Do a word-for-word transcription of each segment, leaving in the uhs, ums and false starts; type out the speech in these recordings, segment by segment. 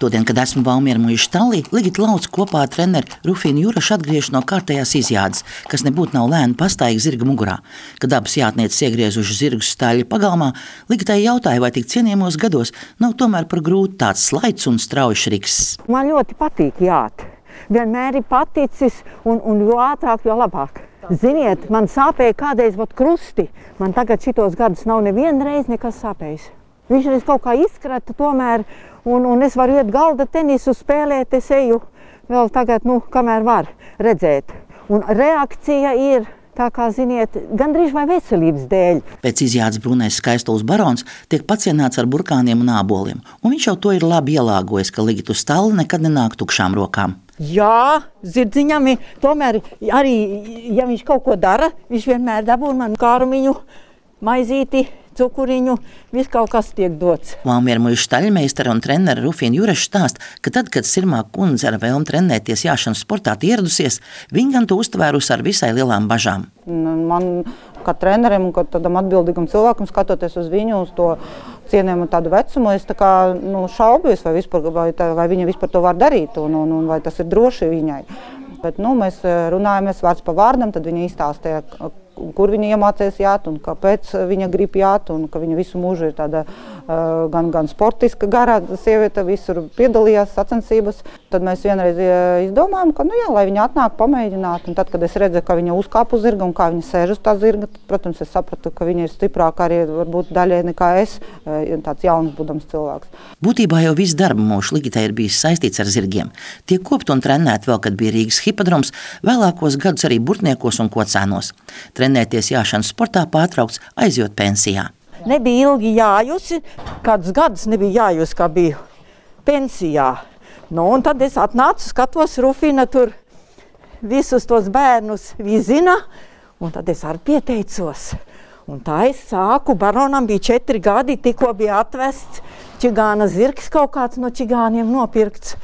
Todien, kad esmu Valmiera muižas stallī, Ligita Lauca kopā ar treneri Rufīnu Jurašu atgriežas no kārtējās izjādes, kas nebūtu nav lēna pastaigā zirga mugurā. Kad abas jātnieces iegriezuši zirgus staļļa pagalmā, Ligitai jautāja, vai tik cienījamos gados nav tomēr par grūti tāds slaids un strauji riks. Man ļoti patīk jāt. Vienmēr ir paticis, un, un jo ātrāk, jo labāk. Ziniet, man sāpēja kādreiz vot krusti. Man tagad šitos gadus nav neviena reize nekas sāpējis. Viņš reiz kaut kā izkrata tomēr, un, un es varu iet galda tenisu spēlēt, es eju vēl tagad, nu, kamēr var redzēt. Un reakcija ir, tā kā ziniet, gandrīz vai veselības dēļ. Pēc izjādes brūnais Skaistules barons tiek pacienāts ar burkāniem un āboliem, un viņš jau to ir labi ielāgojis, ka Ligitu stalli nekad nenāk tukšām rokām. Jā, zirdziņam ir, tomēr arī, ja viņš kaut ko dara, viņš vienmēr dabūna man kārumiņu, maizīti, cukuriņu, viss kaut kas tiek dots. Valmiera muižas staļļmeistara un trenere Rufīna Juraša stāsta, ka tad, kad Sirmā kundze ar vēlmi trenēties jāšanas sportā ieradusies, viņa gan to uztvērusi ar visai lielām bažām. Man, kā trenerim un kā tādam atbildīgam cilvēkam, skatoties uz viņu, uz to cienījumu tādu vecumu, es tā kā nu, šaubījos, vai, vispār, vai, tā, vai viņa vispār to var darīt un, un, un vai tas ir droši viņai. Bet nu, mēs runājamies vārds pa vārdam, tad viņa izstāstīja, kur viņa iemācījās jāt un kāpēc viņa grib jāt, un ka viņa visu mūžu ir tāda uh, gan, gan sportiska garā sieviete, visur piedalījās sacensības. Tad mēs vienreiz izdomājām, ka nu jā, lai viņa atnāk pamēģināt, un tad, kad es redzēju, ka viņa uzkāp uz zirga un kā viņa sēž uz tā zirga, tad, protams, es sapratu, ka viņa ir stiprāka arī varbūt daļai nekā es, tāds jauns būdams cilvēks. Būtībā jau viss darba mūžs Ligitai ir bijis saistīts ar zirgiem. Tiek kopt un trenēt vēl, kad bija Rīgas hipodroms, vēlākos gadus arī Burtniekos un Kocēnos. Trenēties jāšanas sportā pārtraukts, aizjot pensijā. Nebija ilgi jājusi, kādus gadus nebija jājusi, kā biju pensijā. Nu, un tad es atnācu, skatos, Rufina tur visus tos bērnus vizina, un tad es arī pieteicos. Un tā es sāku, baronam bija četri gadi, tikko bija atvests čigāna zirgs, kaut kāds no čigāniem nopirkts.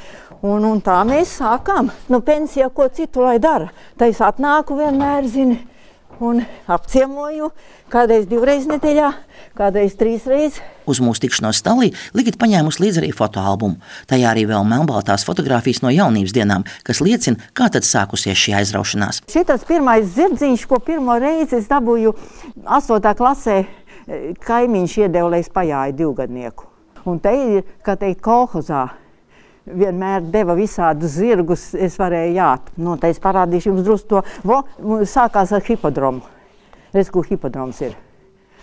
Un, un tā mēs sākām. Nu, pensijā ko citu lai dara. Tā es atnāku vienmēr, zini, un apciemoju, kādreiz divreiz nedēļā, kādreiz trīsreiz. Uz mūsu tikšanos stallī Ligita paņēmusi līdzi arī fotoalbumu. Tajā arī vēl melnbaltās fotogrāfijas no jaunības dienām, kas liecina, kā tad sākusies šī aizraušanās. Šitas pirmais zirdziņš, ko pirmo reizi es dabūju astotā klasē, kaimiņš iedeva, lai es pajāju divgadnieku. Un te ir, kā teikt, kolhozā. Vienmēr deva visādus zirgus, es varēju jāt. Nu, te es parādīšu jums drusku to. Vo, sākās ar hipodromu. Redz, kur hipodroms ir.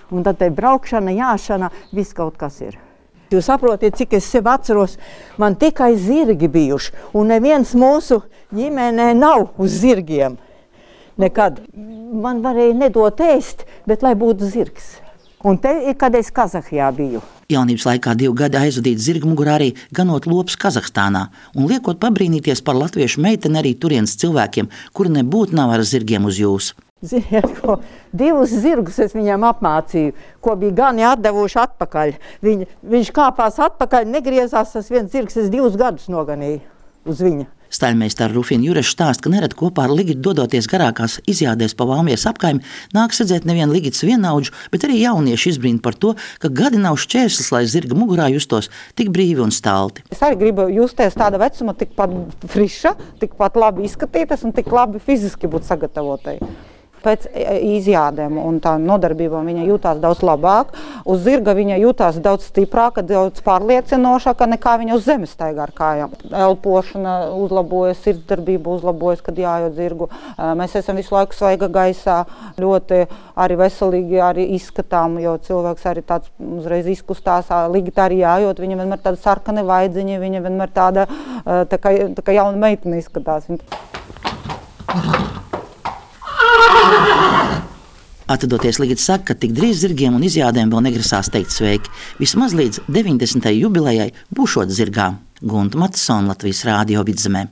Un tad te braukšana, jāšana, viss kaut kas ir. Jūs saprotiet, cik es sev atceros, man tikai zirgi bijuši. Un neviens mūsu ģimenē nav uz zirgiem. Nekad. Man varēja nedot ēst, bet lai būtu zirgs. Un te ir, kad es Kazahijā biju. Jaunības laikā divu gadu aizvadīt zirga mugurā arī ganot lopus Kazahstānā un liekot pabrīnīties par latviešu meiteni arī turienes cilvēkiem, kuri nebūtu nav ar zirgiem uz jūs. Ziniet, ko divus zirgus es viņam apmācīju, ko bija gani atdevuši atpakaļ. Viņ, viņš kāpās atpakaļ, negriezās, tas viens zirgs, es divus gadus noganīju uz viņa. Staļļmeistara Rufīna Juraša stāsta, ka nerad kopā ar Ligitu dodoties garākās izjādēs pa Valmieras apkaimi, nāk redzēt nevienu Ligitas vienaudžu, bet arī jaunieši izbrīna par to, ka gadi nav šķērslis, lai zirga mugurā justos tik brīvi un stalti. Es arī gribu justies tāda vecuma, tikpat friša, tikpat labi izskatītas un tik labi fiziski būt sagatavotai. Pēc izjādēm un tā nodarbībām viņa jūtās daudz labāk. Uz zirga viņa jūtās daudz stiprāka, daudz pārliecinošāka nekā viņa uz zemes staigā ar kājām. Elpošana uzlabojas, sirdsdarbība uzlabojas, kad jājot zirgu. Mēs esam visu laiku svaiga gaisā, ļoti arī veselīgi arī izskatām, jo cilvēks arī tāds uzreiz izkustās. Ligita arī jājot, viņa vienmēr tāda sarkani vaidziņa, viņa vienmēr tāda tā kā, tā kā jauna meitene izskatās. Atdoties Ligita saka, ka tik drīz zirgiem un izjādēm vēl negrasās teikt sveiki. Vismaz līdz deviņdesmitajai jubilejai būšot zirgā. Gunta Matisona, Latvijas Rādio Vidzemē.